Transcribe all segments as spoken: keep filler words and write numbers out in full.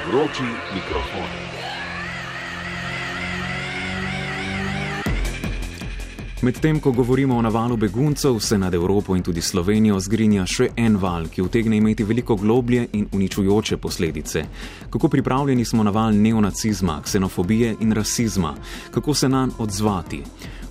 Vroči mikrofon. Medtem, ko govorimo o navalu beguncev, se nad Evropo in tudi Slovenijo zgrinja še en val, ki utegne imeti veliko globlje in uničujoče posledice. Kako pripravljeni smo na val neonacizma, ksenofobije in rasizma? Kako se nanj odzvati?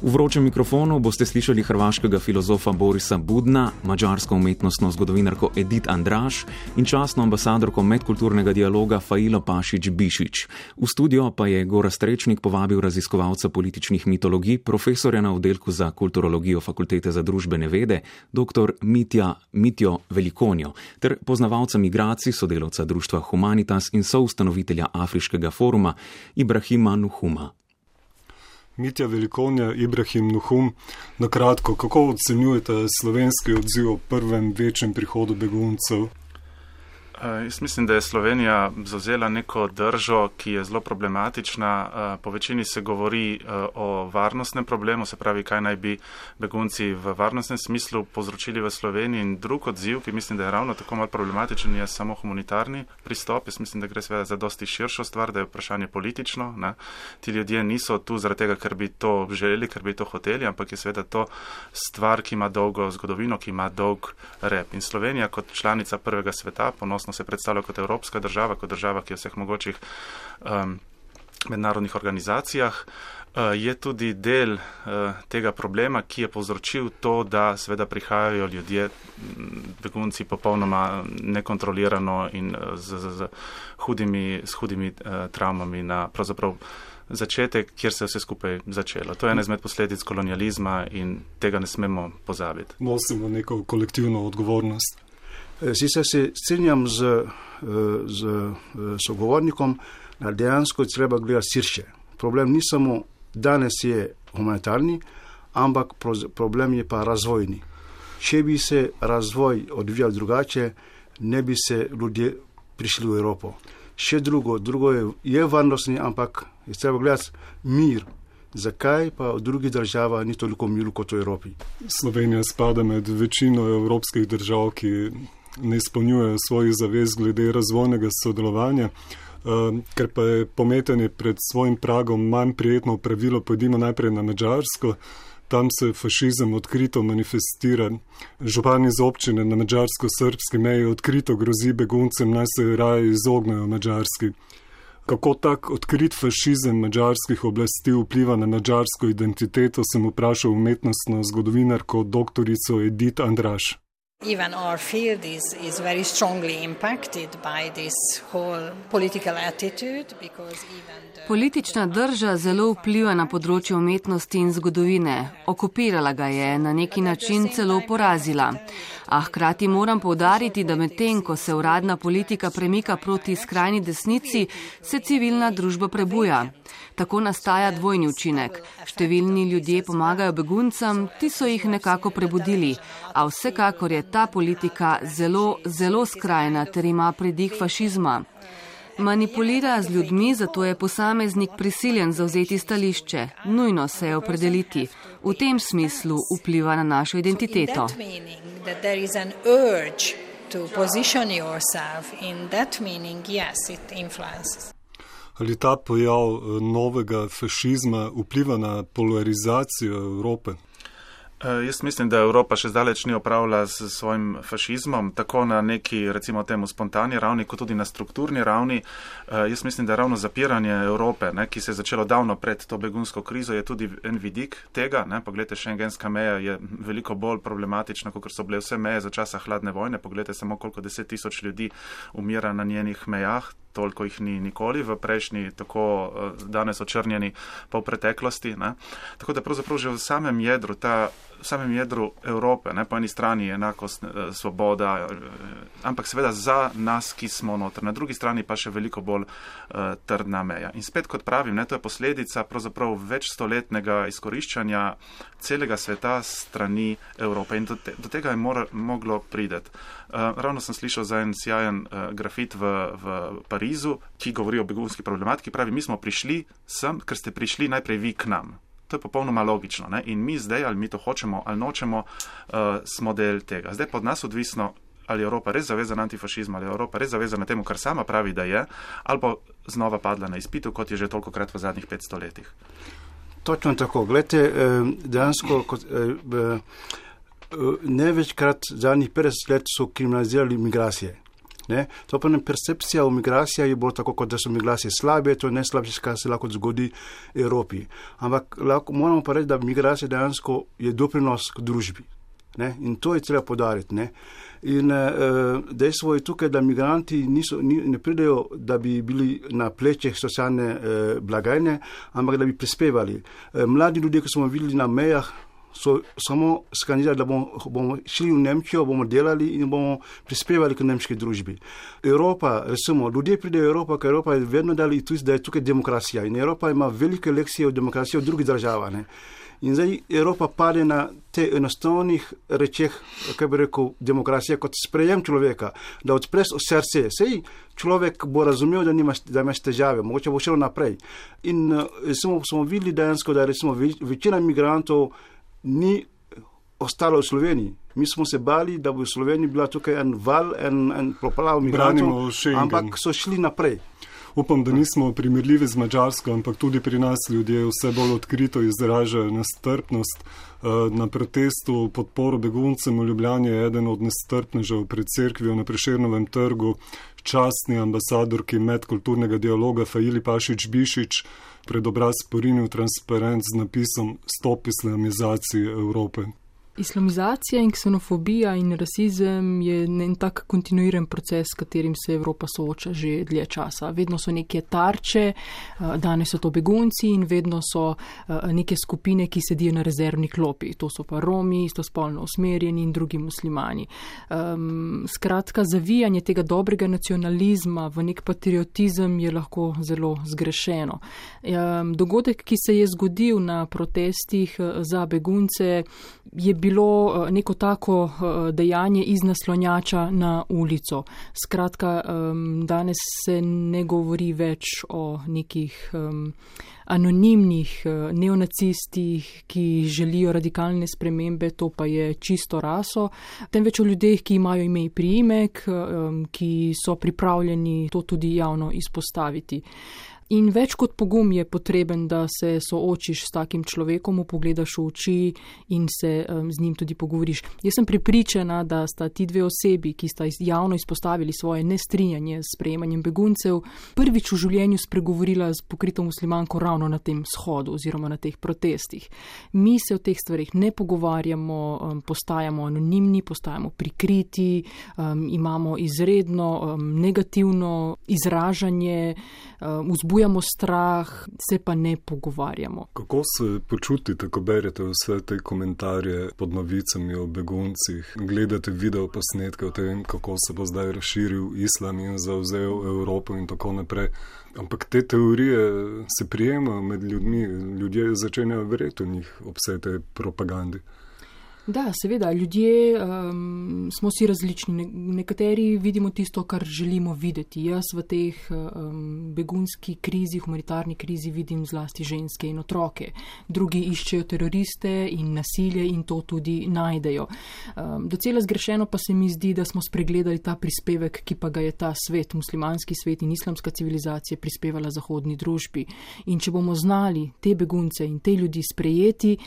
V vročem mikrofonu boste slišali hrvaškega filozofa Borisa Budna, madžarsko umetnostno zgodovinarko Edith Andraž in častno ambasadorko medkulturnega dialoga Failo Pašić-Bišić. V studio pa je Gorazd Rečnik povabil raziskovalca političnih mitologij, profesorja na oddelku za kulturologijo Fakultete za družbene vede, dr. Mitja Mitjo Velikonjo, ter poznavalca migracij, sodelavca društva Humanitas in soustanovitelja Afriškega foruma Ibrahima Nuhuma. Mitja Velikonja, Ibrahim Nuhum, na kratko, kako ocenjujete slovenski odziv o prvem večjem prihodu beguncev? Jaz mislim, da je Slovenija zavzela neko držo, ki je zelo problematična. Po večini se govori o varnostnem problemu, se pravi, kaj naj bi begunci v varnostnem smislu povzročili v Sloveniji. In drug odziv, ki mislim, da je ravno tako malo problematičen, je samo humanitarni pristop. Jaz mislim, da gre seveda za dosti širšo stvar, da je vprašanje politično. Ne? Ti ljudje niso tu zaradi tega, ker bi to želeli, ker bi to hoteli, ampak je seveda to stvar, ki ima dolgo zgodovino, ki ima dolg rep. In Slovenija kot članica prvega sveta, ponosno se predstavlja kot evropska država, kot država, ki je v vseh mogočih um, mednarodnih organizacijah, uh, je tudi del uh, tega problema, ki je povzročil to, da seveda prihajajo ljudje, begunci popolnoma nekontrolirano in uh, z, z, z hudimi, s hudimi uh, travmami na pravzaprav začetek, kjer se je vse skupaj začelo. To je ena izmed posledic kolonializma in tega ne smemo pozabiti. Nosimo neko kolektivno odgovornost. Sicer se strinjam z, z sogovornikom, da dejansko je treba gledati širše. Problem ni samo danes je humanitarni, ampak problem je pa razvojni. Če bi se razvoj odvijal drugače, ne bi se ljudje prišli v Evropo. Še drugo, drugo je, je varnostni, ampak je treba gledati mir. Zakaj pa v drugih državah ni toliko miru kot v Evropi? Slovenija spada med večino evropskih držav, ki ne izpolnjujejo svojih zavez glede razvojnega sodelovanja, ker pa je pometanje pred svojim pragom manj prijetno pravilo, pojdimo najprej na Madžarsko. Tam se fašizem odkrito manifestira. Župan iz občine na madžarsko-srbski meji odkrito grozi beguncem, naj se raje izognejo Madžarski. Kako tak odkrit fašizem madžarskih oblasti vpliva na madžarsko identiteto, sem vprašal umetnostno zgodovinarko doktorico Edith Andraž. Even our field is, is very strongly impacted by this whole political attitude because even the... Politična drža zelo vpliva na področje umetnosti in zgodovine. Okupirala ga je, na neki način celo porazila. A hkrati moram poudariti, da medtem, ko se uradna politika premika proti skrajni desnici, se civilna družba prebuja. Tako nastaja dvojni učinek. Številni ljudje pomagajo beguncem, ti so jih nekako prebudili, a vsekakor je ta politika zelo, zelo skrajna ter ima pridih fašizma. Manipulira z ljudmi, zato je posameznik prisiljen zavzeti stališče. Nujno se je opredeliti. V tem smislu vpliva na našo identiteto. Ali ta pojav novega fašizma vpliva na polarizacijo Evrope? Jaz mislim, da Evropa še zdaleč ni opravila s svojim fašizmom, tako na neki, recimo temu, spontani ravni, kot tudi na strukturni ravni. Jaz mislim, da ravno zapiranje Evrope, ne, ki se je začelo davno pred to begunsko krizo, je tudi en vidik tega. Ne. Poglejte, šengenska meja je veliko bolj problematična, kot so bile vse meje za časa hladne vojne. Poglejte samo, koliko deset tisoč ljudi umira na njenih mejah. Toliko jih ni nikoli v prejšnji, tako danes očrnjeni pa v preteklosti. Ne. Tako da pravzaprav že v samem jedru, ta, v samem jedru Evrope, ne, po eni strani enakost, svoboda, ampak seveda za nas, ki smo noter. Na drugi strani pa še veliko bolj uh, trdna meja. In spet, kot pravim, ne, to je posledica pravzaprav večstoletnega izkoriščanja celega sveta strani Evrope. In do, te, do tega je mora, moglo prideti. Uh, ravno sem slišal za en sjajen uh, grafit v, v Parizu, ki govori o begunski problematiki. Pravi, mi smo prišli sem, ker ste prišli najprej vi k nam. To je popolnoma logično. Ne? In mi zdaj, ali mi to hočemo ali nočemo, uh, smo del tega. Zdaj pod nas odvisno, ali je Evropa res zavezana antifašizmu, ali je Evropa res zavezana temu, kar sama pravi, da je, ali pa znova padla na izpitu, kot je že tolikokrat v zadnjih petsto letih. Točno tako. Glede, dejansko kot, ne večkrat zadnjih petdeset let so kriminalizirali migracije. Ne? To pa ne percepcija o migracijah je bolj tako, kot da so migracije slabe, to je najslabše, kar se lahko zgodi Evropi. Ampak lahko, moramo pa reči, da migracija dejansko je doprinos k družbi. Ne? In to je treba podariti. Ne? In uh, dejstvo je tukaj, da migranti niso, ni, ne pridejo, da bi bili na plečih socialne uh, blagajne, ampak da bi prispevali. Uh, mladi ljudje, ki smo videli na mejah, so samo skandirali, da bomo, bomo šli v Nemčijo, bomo delali in bomo prispevali k nemški družbi. Evropa, recimo, ljudje pridejo v Evropo, ker Evropa je vedno dali tudi, da je tukaj demokracija. In Evropa ima velike lekcije o demokraciji v drugih državah. Ne? In zdaj Evropa pade na te enostavnih rečeh, kaj bi rekel, demokracija kot sprejem človeka, da odpre srce. Sej človek bo razumel, da, nima, da imaš težave, mogoče bo šel naprej. In recimo, smo videli dejansko, da recimo večina migrantov ni ostalo v Sloveniji. Mi smo se bali, da bo v Sloveniji bila tukaj en val, en, en poplav migrantov, ampak so šli naprej. Upam, da nismo primerljivi z Madžarsko, ampak tudi pri nas ljudje vse bolj odkrito izražajo nestrpnost. Na protestu podporo beguncem v Ljubljani je eden od nestrpnežev pred cerkvijo na Prešernovem trgu, častni ambasadorki medkulturnega dialoga Faili Pašić Bišić pred obraz porinil transparent z napisom Stop islamizaciji Evrope. Islamizacija in ksenofobija in rasizem je en tak kontinuiran proces, s katerim se Evropa sooča že dlje časa. Vedno so neke tarče, danes so to begunci in vedno so neke skupine, ki sedijo na rezervni klopi. To so pa Romi, istospolno usmerjeni in drugi muslimani. Um, skratka, zavijanje tega dobrega nacionalizma v nek patriotizem je lahko zelo zgrešeno. Um, dogodek, ki se je zgodil na protestih za begunce, je bilo neko tako dejanje iz naslonjača na ulico. Skratka, danes se ne govori več o nekih anonimnih neonacistih, ki želijo radikalne spremembe, to pa je čisto raso, temveč o ljudeh, ki imajo ime in priimek, ki so pripravljeni to tudi javno izpostaviti. In več kot pogum je potreben, da se soočiš s takim človekom, mu pogledaš v oči in se um, z njim tudi pogovoriš. Jaz sem prepričana, da sta ti dve osebi, ki sta javno izpostavili svoje nestrinjanje s sprejemanjem beguncev, prvič v življenju spregovorila z pokrito muslimanko ravno na tem shodu oziroma na teh protestih. Mi se o teh stvarih ne pogovarjamo, um, postajamo anonimni, postajamo prikriti, um, imamo izredno um, negativno izražanje, um, vzbujamo strah, se pa ne pogovarjamo. Kako se počutite, ko berete vse te komentarje pod novicami o beguncih, gledate video posnetke o tem, kako se bo zdaj razširil islam in zavzel Evropo in tako naprej. Ampak te teorije se prijemajo med ljudmi, ljudje začenjajo verjeti v njih ob vsej tej propagandi. Da, seveda, ljudje um, smo si različni. Nekateri vidimo tisto, kar želimo videti. Jaz v teh um, begunski krizi, humanitarni krizi vidim zlasti ženske in otroke. Drugi iščejo teroriste in nasilje in to tudi najdejo. Um, docela zgrešeno pa se mi zdi, da smo spregledali ta prispevek, ki pa ga je ta svet, muslimanski svet in islamska civilizacija prispevala zahodni družbi. In če bomo znali te begunce in te ljudi sprejeti,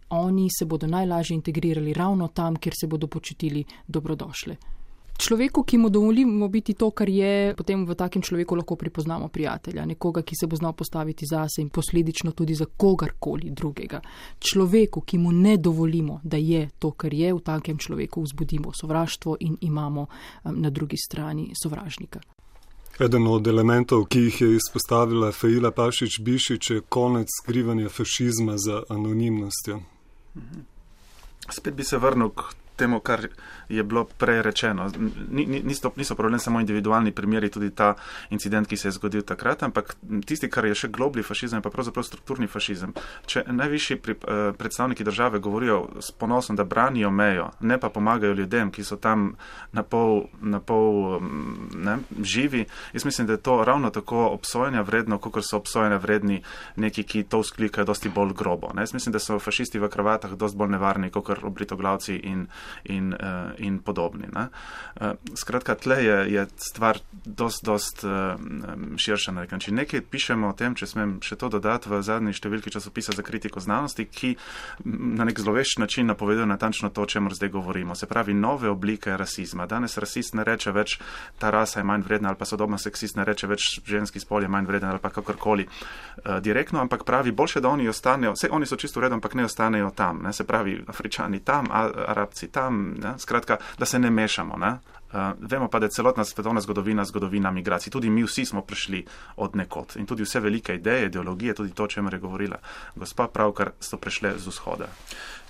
oni se bodo najlažje integrirali ravno tam, kjer se bodo počutili dobrodošle. Človeku, ki mu dovolimo biti to, kar je, potem v takem človeku lahko pripoznamo prijatelja, nekoga, ki se bo znal postaviti zase in posledično tudi za kogarkoli drugega. Človeku, ki mu ne dovolimo, da je to, kar je, v takem človeku vzbudimo sovraštvo in imamo um, na drugi strani sovražnika. Eden od elementov, ki jih je izpostavila Faila Pašić Bišić, je konec skrivanja fašizma za anonimnostjo. Spet bi se vrnil k temu, kar je bilo prej rečeno. Niso, niso problem samo individualni primeri, tudi ta incident, ki se je zgodil takrat, ampak tisti, kar je še globlji fašizem, je pa pravzaprav strukturni fašizem. Če najvišji predstavniki države govorijo s ponosom, da branijo mejo, ne pa pomagajo ljudem, ki so tam na pol, na pol ne, živi, jaz mislim, da je to ravno tako obsojanja vredno, kot so obsojanja vredni neki, ki to vzklikajo dosti bolj grobo. Ne? Jaz mislim, da so fašisti v kravatah dosti bolj nevarni, kot obritoglavci in in, uh, in podobni. Ne? Uh, skratka, tle je, je stvar dost, dost uh, širša na nek način. Nekaj pišemo o tem, če smem še to dodati, v zadnji številki časopisa za kritiko znanosti, ki na nek zlovešč način napoveduje natančno to, o čemer zdaj govorimo. Se pravi, nove oblike rasizma. Danes rasist ne reče več, ta rasa je manj vredna, ali pa sodobno seksist ne reče več, ženski spol je manj vreden, ali pa kakorkoli uh, direktno, ampak pravi, boljše, da oni ostanejo, vse oni so čisto v redu, ampak ne ostanejo tam. Ne? Se pravi, Afričani tam, Arabci tam, ne? Skratka, da se ne mešamo. Ne? Uh, vemo pa, da je celotna svetovna zgodovina zgodovina migracij. Tudi mi vsi smo prišli od nekod. In tudi vse velike ideje, ideologije, tudi to, o čemer je govorila gospa, pravkar so prišle z vzhoda.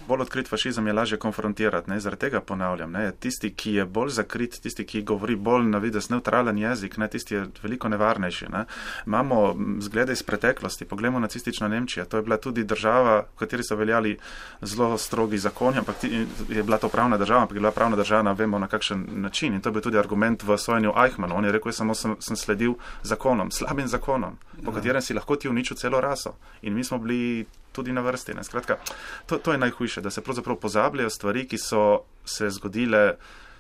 Bolj odkrit fašizem je lažje konfrontirati, ne, zaradi tega ponavljam, ne, tisti, ki je bolj zakrit, tisti, ki govori bolj na vides neutralen jezik, ne, tisti je veliko nevarnejši, ne. Imamo zglede iz preteklosti, poglejmo nacistično Nemčijo, to je bila tudi država, v kateri so veljali zelo strogi zakoni, ampak je bila to pravna država, ampak je bila pravna država, vemo na kakšen način, in to je bil tudi argument v sojenju Eichmannu, on je rekel, samo sem, sem sledil zakonom, slabim zakonom, po katerem si lahko ti uničil celo raso, in mi smo bili tudi na vrsti. Ne. Skratka, to, to je najhujše, da se pravzaprav pozabljajo stvari, ki so se zgodile,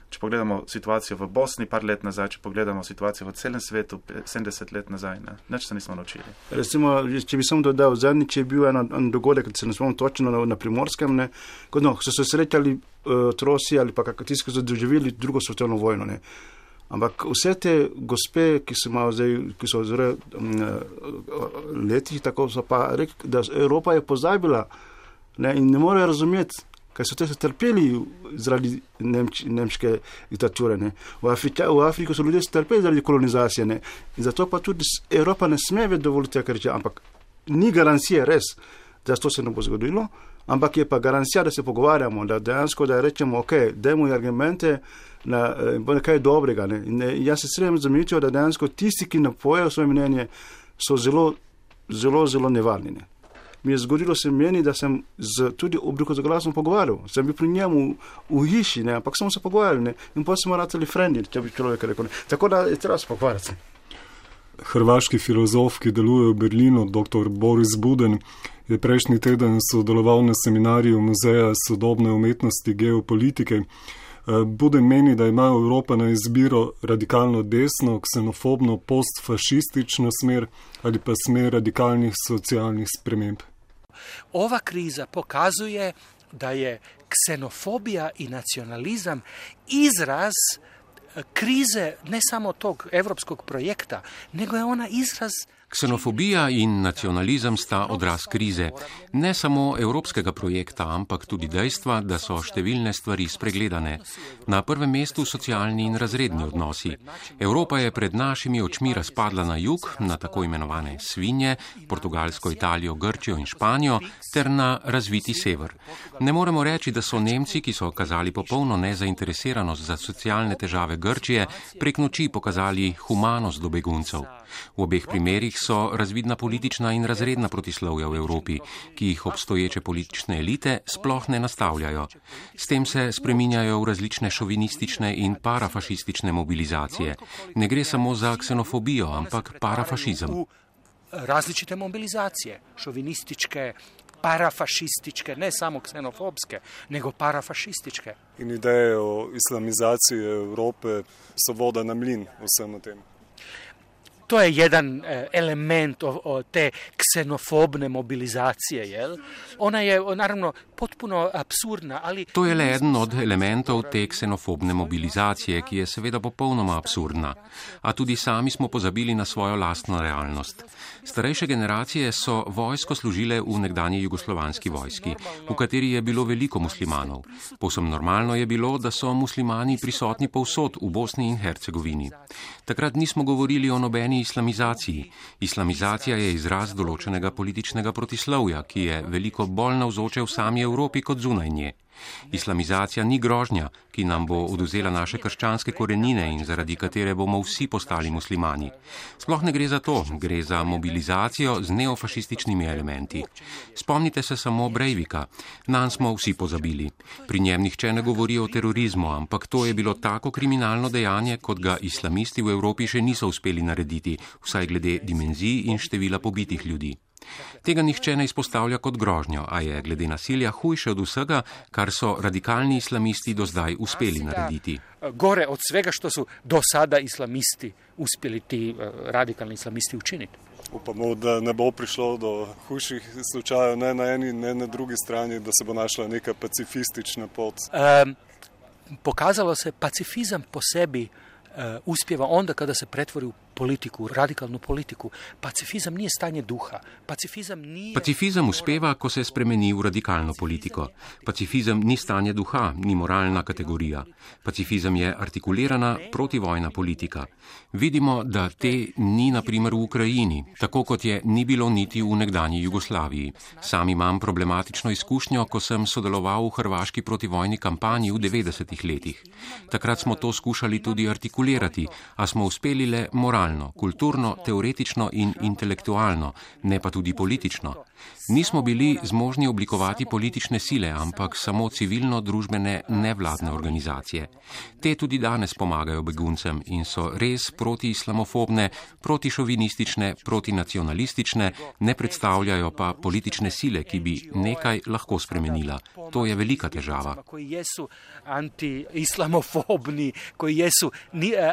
če pogledamo situacijo v Bosni par let nazaj, če pogledamo situacijo v celem svetu sedemdeset let nazaj, ne. Nič se nismo naučili. Recimo, če bi samo dodal, zadnjič je bil en, en dogodek, ki se ne spomnim točno na, na Primorskem, ne, ko no, so se srečali uh, trosi ali pa kako tisti, ki so doživeli drugo svetovno vojno, ne. Ampak vse te gospe, ki so malo zdaj, ki so zelo um, letih, tako so pa rekli, da Evropa je pozabila, ne, in ne morejo razumeti, kaj so te se trpeli zaradi nemč, nemške diktature. Ne. V, Afrika, v Afriki so ljudje trpeli zaradi kolonizacije, ne. In zato pa tudi Evropa ne sme več dovoliti tega reči, ampak ni garancije res, da to se ne bo zgodilo, ampak je pa garancija, da se pogovarjamo, da dejansko, da rečemo, ok, dajmo argumente, na nekaj dobrega. Ne. In jaz se sredem zamičil, da dejansko tisti, ki napojejo svoje mnenje, so zelo, zelo, zelo nevarni. Ne. Mi je zgodilo se meni, da sem z tudi obliko za glasom pogovarjal. Sem bil pri njemu v hiši, ne, ampak smo se pogovarjali, ne. In potem smo ratali frendi, če bi človek rekel. Ne. Tako da je treba se pogovarjati. Hrvaški filozof, ki deluje v Berlinu, doktor Boris Buden, je prejšnji teden sodeloval na seminarju Muzeja sodobne umetnosti geopolitike. Buden meni, da ima Evropa na izbiro radikalno desno, ksenofobno, postfašistično smer ali pa smer radikalnih socialnih sprememb. Ova kriza pokazuje, da je ksenofobija i nacionalizam izraz krize ne samo tog evropskog projekta, nego je ona izraz. Ksenofobija in nacionalizem sta odraz krize, ne samo evropskega projekta, ampak tudi dejstva, da so številne stvari spregledane. Na prvem mestu socialni in razredni odnosi. Evropa je pred našimi očmi razpadla na jug, na tako imenovane svinje, Portugalsko, Italijo, Grčijo in Španijo, ter na razviti sever. Ne moremo reči, da so Nemci, ki so kazali popolno nezainteresiranost za socialne težave Grčije, prek noči pokazali humanost do beguncev. V obeh primerih so razvidna politična in razredna protislovja v Evropi, ki jih obstoječe politične elite sploh ne nastavljajo. S tem se spreminjajo v različne šovinistične in parafašistične mobilizacije. Ne gre samo za ksenofobijo, ampak parafašizem. Različite mobilizacije, šovinističke, parafašističke, ne samo ksenofobske, nego parafašističke. In ideje o islamizaciji Evrope so voda na mlin vsem tem. To je jedan element o, o te ksenofobne mobilizacije, jel? Ona je naravno potpuno apsurdna, ali... To je le eden od elementov te ksenofobne mobilizacije, ki je seveda popolnoma absurdna. A tudi sami smo pozabili na svojo lastno realnost. Starejše generacije so vojsko služile v nekdanji jugoslovanski vojski, v kateri je bilo veliko muslimanov. Povsem normalno je bilo, da so muslimani prisotni povsod v Bosni in Hercegovini. Takrat nismo govorili o nobeni islamizaciji. Islamizacija je izraz določenega političnega protislovja, ki je veliko bolj navzoče v sami Evropi kot zunaj nje. Islamizacija ni grožnja, ki nam bo oduzela naše krščanske korenine in zaradi katere bomo vsi postali muslimani. Sploh ne gre za to, gre za mobilizacijo z neofašističnimi elementi. Spomnite se samo Breivika, nanj smo vsi pozabili. Pri njem nihče ne govori o terorizmu, ampak to je bilo tako kriminalno dejanje, kot ga islamisti v Evropi še niso uspeli narediti, vsaj glede dimenzij in števila pobitih ljudi. Tega nihče ne izpostavlja kot grožnjo, a je glede nasilja hujše od vsega, kar so radikalni islamisti do zdaj uspeli narediti. Gore od svega, što su do sada islamisti uspjeli ti radikalni islamisti učiniti. Upamo, da ne bo prišlo do hujših slučajev ne na eni, ne na drugi strani, da se bo našla neka pacifistična pot. Um, pokazalo se pacifizam po sebi uh, uspjeva onda kada se pretvori u politiku, radikalnu politiku. Pacifizam nije stanje duha. Pacifizam nije... Pacifizam uspeva, ko se spremeni v radikalno politiko. Pacifizam ni stanje duha, ni moralna kategorija. Pacifizam je artikulirana protivojna politika. Vidimo, da te ni na primer v Ukrajini, tako kot je ni bilo niti v nekdanji Jugoslaviji. Sam imam problematično izkušnjo, ko sem sodeloval v hrvaški protivojni kampanji v devetdesetih letih. Takrat smo to skušali tudi artikulirati, a smo uspeli le moralno, kulturno, teoretično in intelektualno, ne pa tudi politično. Nismo bili zmožni oblikovati politične sile, ampak samo civilno-družbene nevladne organizacije. Te tudi danes pomagajo beguncem in so res protiislamofobne, protišovinistične, protinacionalistične, ne predstavljajo pa politične sile, ki bi nekaj lahko spremenila. To je velika težava. Koji jesu anti-islamofobni, koji jesu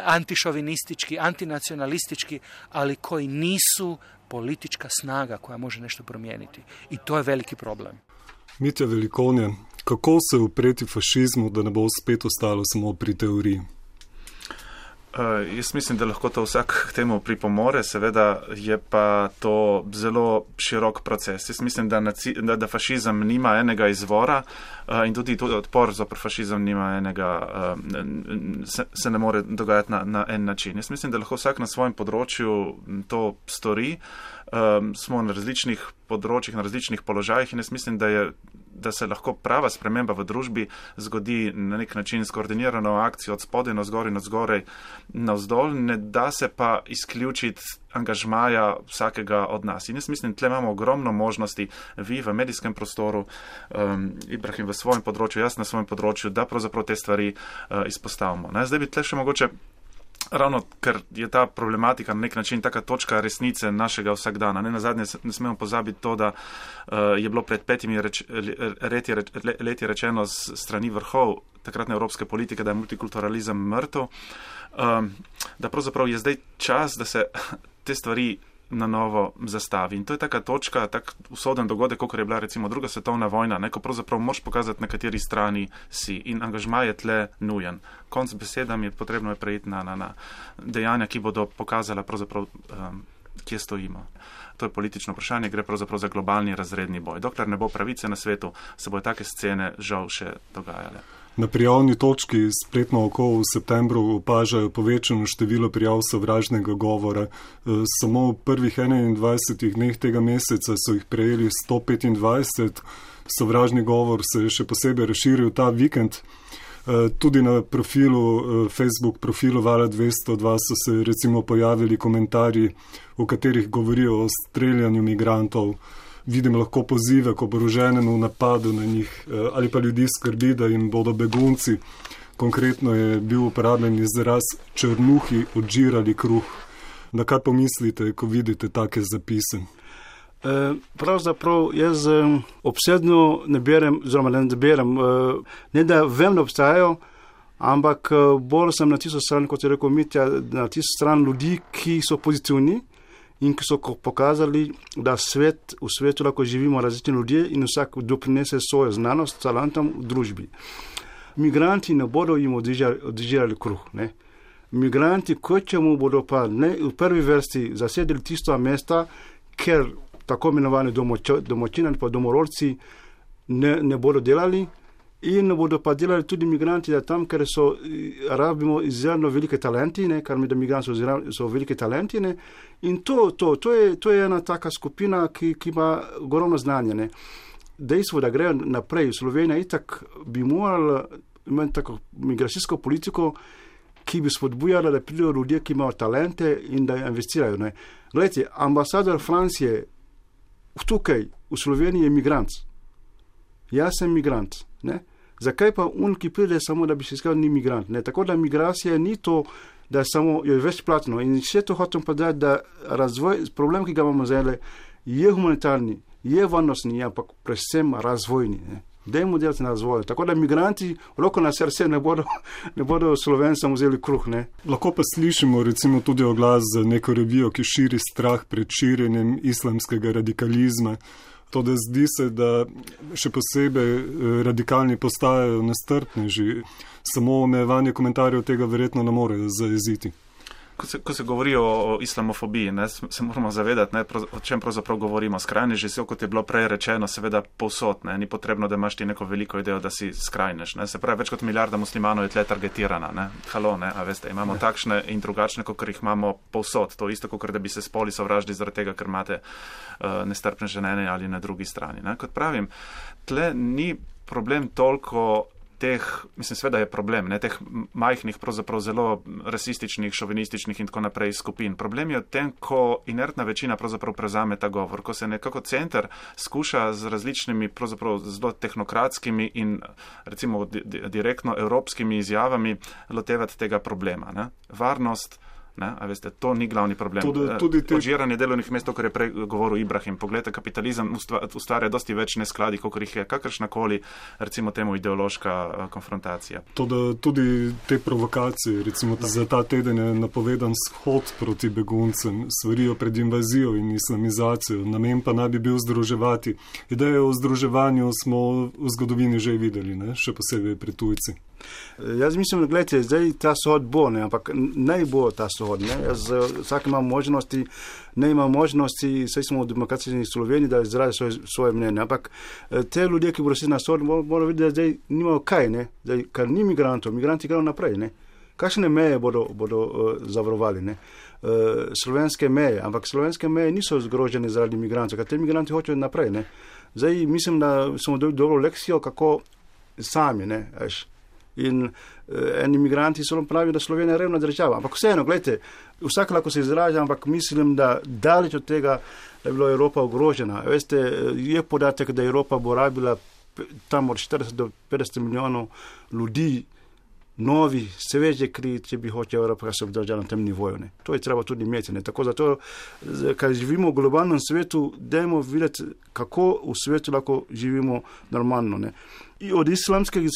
antišovinistički, antinacionalistički, ali koji nisu politička snaga koja može nešto promijeniti. I to je veliki problem. Mitja Velikonja, kako se upreti fašizmu, da ne bo spet ostalo samo pri teoriji? Uh, jaz mislim, da lahko to vsak k temu pripomore, seveda je pa to zelo širok proces. Jaz mislim, da, naci, da, da fašizem nima enega izvora uh, in tudi, tudi odpor zopr fašizem nima enega, uh, se, se ne more dogajati na, na en način. Jaz mislim, da lahko vsak na svojem področju to stori. Um, smo na različnih področjih, na različnih položajih in jaz mislim, da, je, da se lahko prava sprememba v družbi zgodi na nek način skoordinirano akcijo od spodaj na zgor in od zgorej na vzdolj, ne da se pa izključiti angažmaja vsakega od nas. In jaz mislim, tle imamo ogromno možnosti, vi v medijskem prostoru, um, Ibrahim v svojem področju, jaz na svojem področju, da pravzaprav te stvari uh, izpostavimo. Ne? Zdaj bi tle še mogoče ravno, ker je ta problematika na nek način taka točka resnice našega vsakdana. Ne nazadnje ne smemo pozabiti to, da uh, je bilo pred petimi reč, leti, reč, leti rečeno z strani vrhov takratne evropske politike, da je multikulturalizem mrtev, um, da pravzaprav je zdaj čas, da se te stvari na novo zastavi. In to je taka točka, tak usoden dogodek, kot je bila recimo druga svetovna vojna, ne, ko pravzaprav moraš pokazati, na kateri strani si in angažma je tle nujen. Konc besedam je potrebno je prejiti na, na, na dejanja, ki bodo pokazala pravzaprav, um, kje stojimo. To je politično vprašanje, gre pravzaprav za globalni razredni boj. Dokler ne bo pravice na svetu, se bodo take scene žal še dogajale. Na prijavni točki Spletno oko v septembru opažajo povečano število prijav sovražnega govora. Samo v prvih enaindvajsetih dneh tega meseca so jih prejeli sto petindvajset. Sovražni govor se je še posebej razširil ta vikend. Tudi na profilu, Facebook profilu Vala dvesto dva so se recimo pojavili komentarji, v katerih govorijo o streljanju migrantov. Vidim lahko pozive k oboroženemu napadu na njih ali pa ljudi skrbi, da jim bodo begunci. Konkretno je bil uporabljen izraz črnuhi odžirali kruh. Na kaj pomislite, ko vidite take zapise? E, pravzaprav jaz obsedno ne berem, oziroma ne berem, ne da vem, da obstajajo, ampak bolj sem na tisto stran, kot je rekel Mitja, na tisto stran ljudi, ki so pozitivni in ki so pokazali, da svet, v svetu lahko živimo različni ljudje in vsak doprinese svojo znanost, talentom v družbi. Migranti ne bodo jim odžirali kruh. Ne? Migranti, kot čemu bodo pa ne, v prvi vrsti zasedili tisto mesta, ker tako imenovani domočini ali pa domorodci ne, ne bodo delali in ne bodo pa delali tudi migranti, da tam, ker so, rabimo izjemno velike talenti, ne, kar mi da migranti so, so velike talenti, ne, in to, to, to, je, to je ena taka skupina, ki, ki ima ogromno znanje, ne. Dejstvo, da grejo naprej, Slovenija itak bi morala imeti tako migracijsko politiko, ki bi spodbujala, da pridejo ljudje, ki imajo talente in da investirajo, ne. Gledajte, ambasador Francije tukaj v Sloveniji je migrant. Jaz sem migrant, ne. Zakaj pa on, ki pride samo, da bi se iskal, ni migrant? Ne? Tako da migracija ni to, da je samo je večplatno. In še to hočem povedati, da razvoj, problem, ki ga imamo zdaj, je humanitarni, je varnostni, ampak predvsem razvojni. Ne. Dajmo delati na razvoju. Tako da migranti, roko na srce, ne bodo, ne bodo Slovencem vzeli kruh. Ne. Lahko pa slišimo recimo tudi oglas za neko revijo, ki širi strah pred širjenjem islamskega radikalizma. To, da zdi se, da še posebej radikalni postajajo nestrpneži. Samo omejevanje komentarjev tega verjetno ne more zajeziti. Ko se, ko se govori o, o islamofobiji, ne, se moramo zavedati, ne, o čem pravzaprav govorimo. Skrajneži so, kot je bilo prej rečeno, seveda povsod. Ne, ni potrebno, da imaš ti neko veliko idejo, da si skrajnež. Ne. Se pravi, več kot milijarda muslimanov je tle targetirana. Ne. Halo, ne, a veste, imamo takšne in drugačne, kot jih imamo povsod. To isto, kot da bi se spoli sovražili zaradi tega, ker imate uh, nestrpne že na eni ali na drugi strani. Ne. Kot pravim, tle ni problem toliko teh, mislim, sveda je problem, ne, teh majhnih, pravzaprav zelo rasističnih, šovinističnih in tako naprej skupin. Problem je v tem, ko inertna večina pravzaprav prevzame ta govor, ko se nekako center skuša z različnimi, pravzaprav zelo tehnokratskimi in recimo di- di- direktno evropskimi izjavami lotevati tega problema. Ne. Varnost, ne, a veste, to ni glavni problem. Tudi, tudi te... Odžiranje delovnih mest, kar je prej govoril Ibrahim. Poglejte, kapitalizem ustvarja dosti več neskladij, kot jih je kakršnakoli, recimo temu, ideološka konfrontacija. Tudi, tudi te provokacije, recimo za ta teden je napovedan shod proti beguncem, svarijo pred invazijo in islamizacijo, namen pa naj bi bil združevati. Ideje o združevanju smo v zgodovini že videli, ne? Še posebej pri tujci. Jaz mislim, da gledajte, zdaj ta shod bo, ne, ampak naj bo ta shod. Ne. Jaz vsak ima možnosti, ne ima možnosti, saj smo v demokratični Sloveniji, da izrazi svoje, svoje mnenje, ampak te ljudje, ki bodo si na shod, morajo videti, da zdaj nimajo kaj, ne, zdaj, kar ni migrantov, migranti grejo naprej, ne. Kakšne meje bodo, bodo uh, zavarovali, ne. Uh, slovenske meje, ampak slovenske meje niso zgrožene zaradi migrantov, ker te migranti hočejo naprej, ne. Zdaj mislim, da smo dobili dobro lekcijo, kako sami, ne, veš. In uh, eni migranti so nam pravijo, da Slovenija je revna država. Ampak vseeno, gledajte, vsak lahko se izraža, ampak mislim, da daleč od tega, da je bila Evropa ogrožena. Veste, je podatek, da Evropa bo rabila tam od štirideset do petdeset milijonov ljudi, novi, sveže kri, če bi hoče Evropa se obdržala na tem nivoju. Ne. To je treba tudi imeti. Ne. Tako zato, kaj živimo v globalnem svetu, dajmo videti, kako v svetu lahko živimo normalno. Ne. I od islamskega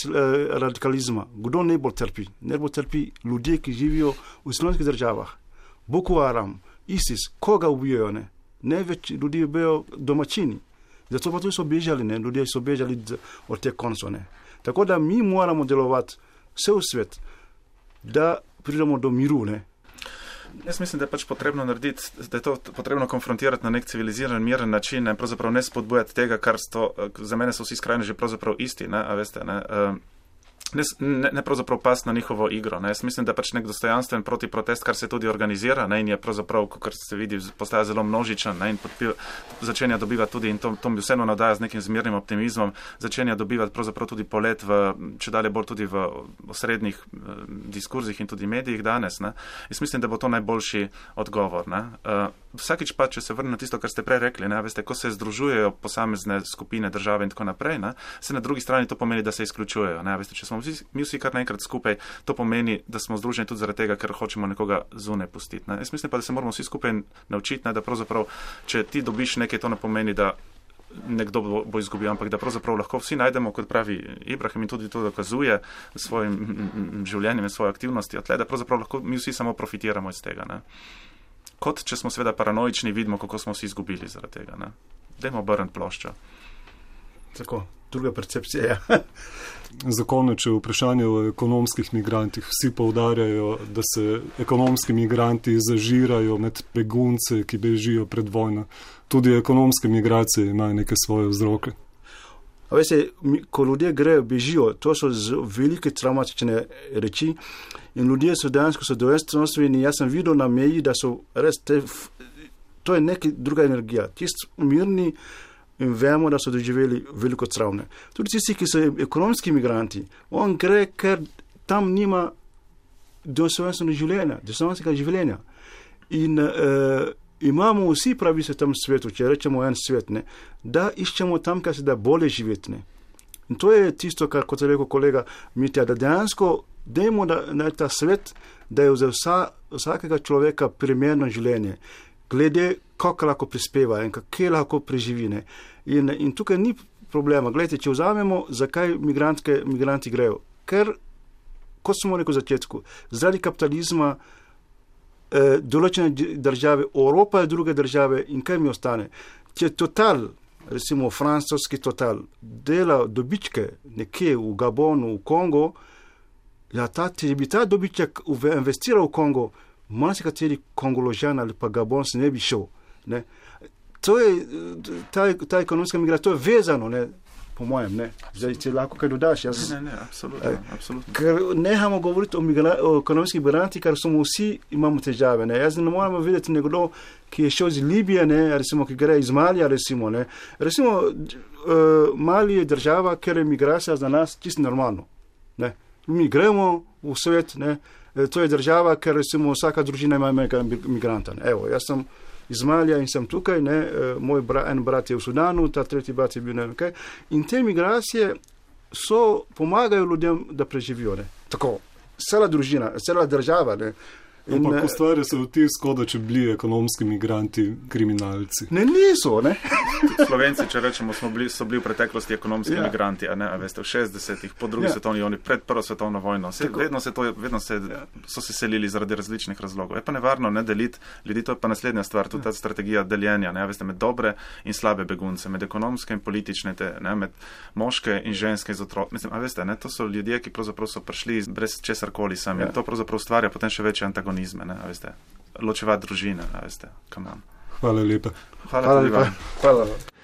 radikalizma, kdo najbolj trpi? Najbolj trpi ljudje, ki živijo v islamskih državah. Boko Haram, ISIS, koga ubijajo? Ne? Največ ljudi ubijajo domačini. Zato pa tudi so bežali, ne? Ljudje so bežali od te konco. Ne? Tako da mi moramo delovati vse v svet, da pridemo do miru. Ne? Jaz mislim, da je pač potrebno narediti, da je to potrebno konfrontirati na nek civiliziran, miren način in pravzaprav ne spodbujati tega, kar sto, za mene so vsi skrajneži pravzaprav isti, ne, a veste, ne. Uh, Ne, ne, ne pravzaprav pas na njihovo igro. Ne. Jaz mislim, da je pač nek dostojanstven protiprotest, kar se tudi organizira, ne, in je pravzaprav, kot se vidi, postaja zelo množičen, ne, in podpil, začenja dobivati tudi, in to, to mi vseeno nadaja z nekim zmernim optimizmom, začenja dobivati pravzaprav tudi polet v, če dalje bolj tudi v osrednjih eh, diskurzih in tudi medijih danes. Ne. Jaz mislim, da bo to najboljši odgovor. Ne. Uh, vsakič pa, če se vrne na tisto, kar ste prej rekli, ne, veste, ko se združujejo posamezne skupine, države in tako naprej, ne, se na drugi strani to pomeni, da se izključujejo. Ne, veste, če smo vsi, mi vsi kar naenkrat skupaj, to pomeni, da smo združeni tudi zaradi tega, ker hočemo nekoga zunaj pustiti. Ne. Jaz mislim pa, da se moramo vsi skupaj naučiti, ne, da pravzaprav, če ti dobiš nekaj, to ne pomeni, da nekdo bo, bo izgubil, ampak da pravzaprav lahko vsi najdemo, kot pravi Ibrahim in tudi to dokazuje s svojim življenjem in svojo aktivnostjo, tle, da pravzaprav lahko mi vsi samo profitiramo iz tega. Ne. Kot če smo seveda paranoični, vidimo, kako smo vsi izgubili zaradi tega. Ne. Dajmo obrniti ploščo. Tako, druga percepcija. Za konec je vprašanje o ekonomskih migrantih. Vsi poudarjajo, da se ekonomski migranti zažirajo med begunce, ki bežijo pred vojno. Tudi ekonomske migracije imajo neke svoje vzroke. A veste, ko ljudje grejo, bežijo, to so velike traumatične reči in ljudje so dejansko so dostojanstveni. Jaz sem videl na meji, da so res te, to je neka druga energija. Tisti mirni in vemo, da so doživeli veliko travme. Tudi tisti, ki so ekonomski migranti, on gre, ker tam nima dostojanstvenega življenja, dostojanstvenega življenja. In uh, imamo vsi pravice v tem svetu, če rečemo en svet, ne, da iščemo tam, kar se da bolje živeti. Ne. In to je tisto, kar, kot je rekel kolega Mitja, da dejansko dajmo da, na ta svet, da je za vsa, vsakega človeka primerno življenje. Glede kako lahko prispeva in kako lahko preživi. Ne. In, in tukaj ni problema. Glejte, če vzamemo, zakaj migranti grejo. Ker, kot smo rekel v začetku, zaradi kapitalizma eh, določene države, Evropa je druge države in kaj mi ostane? Če Total, recimo francoski Total, dela dobičke nekje v Gabonu, v Kongo, ja, ta, če bi ta dobiček investiral v Kongo, marsikateri Kongoložan ali pa Gabon se ne bi šel. Ne. To je, ta, ta ekonomska migracija, to je vezano, ne, po mojem, ne. Zdaj, če lahko kaj dodaš. Jaz, ne, ne, absolutno, absolutno. Ker nehamo govoriti o, migra, o ekonomskih migrantih, ker smo vsi imamo težave, ne. Jaz ne moramo videti nekdo, ki je šel iz Libije, ne, recimo, ki gre iz Malija, recimo, ne. Recimo, uh, Mali je država, ker je migracija za nas čisto normalno, ne. Mi gremo v svet, ne. To je država, ker recimo vsaka družina ima enega migranta. Evo, jaz sem iz Malija in sem tukaj, ne, moj bra, en brat je v Sudanu, ta tretji brat je bil ne vem kaj. In te migracije so, pomagajo ljudem, da preživijo, ne. Tako, cela družina, cela država, ne. Ampak ustvarja se vtis, kot da če bili ekonomski migranti kriminalci. Ne, niso, ne. Slovenci, če rečemo, smo bili, so bili v preteklosti ekonomski ja. migranti, a ne, a veste, v šestdesetih, po drugi ja. svetovni vojni, pred prvo svetovno vojno. Se, vedno se to, vedno se, ja. so se selili zaradi različnih razlogov. Je pa nevarno ne deliti ljudi, to je pa naslednja stvar, tudi ta strategija deljenja, ne, a veste, med dobre in slabe begunce, med ekonomske in politične, te, ne, med moške in ženske iz otrok. Mislim, a veste, ne, to so ljudje, ki pravzaprav so prišli brez česarkoli sami. Ja. To pravzaprav ustvarja potem še večji antagonizme. Ne, a veste, ločevati družine, a veste, come on. Hvala lepa. Hvala, Hvala lepa. Hvala.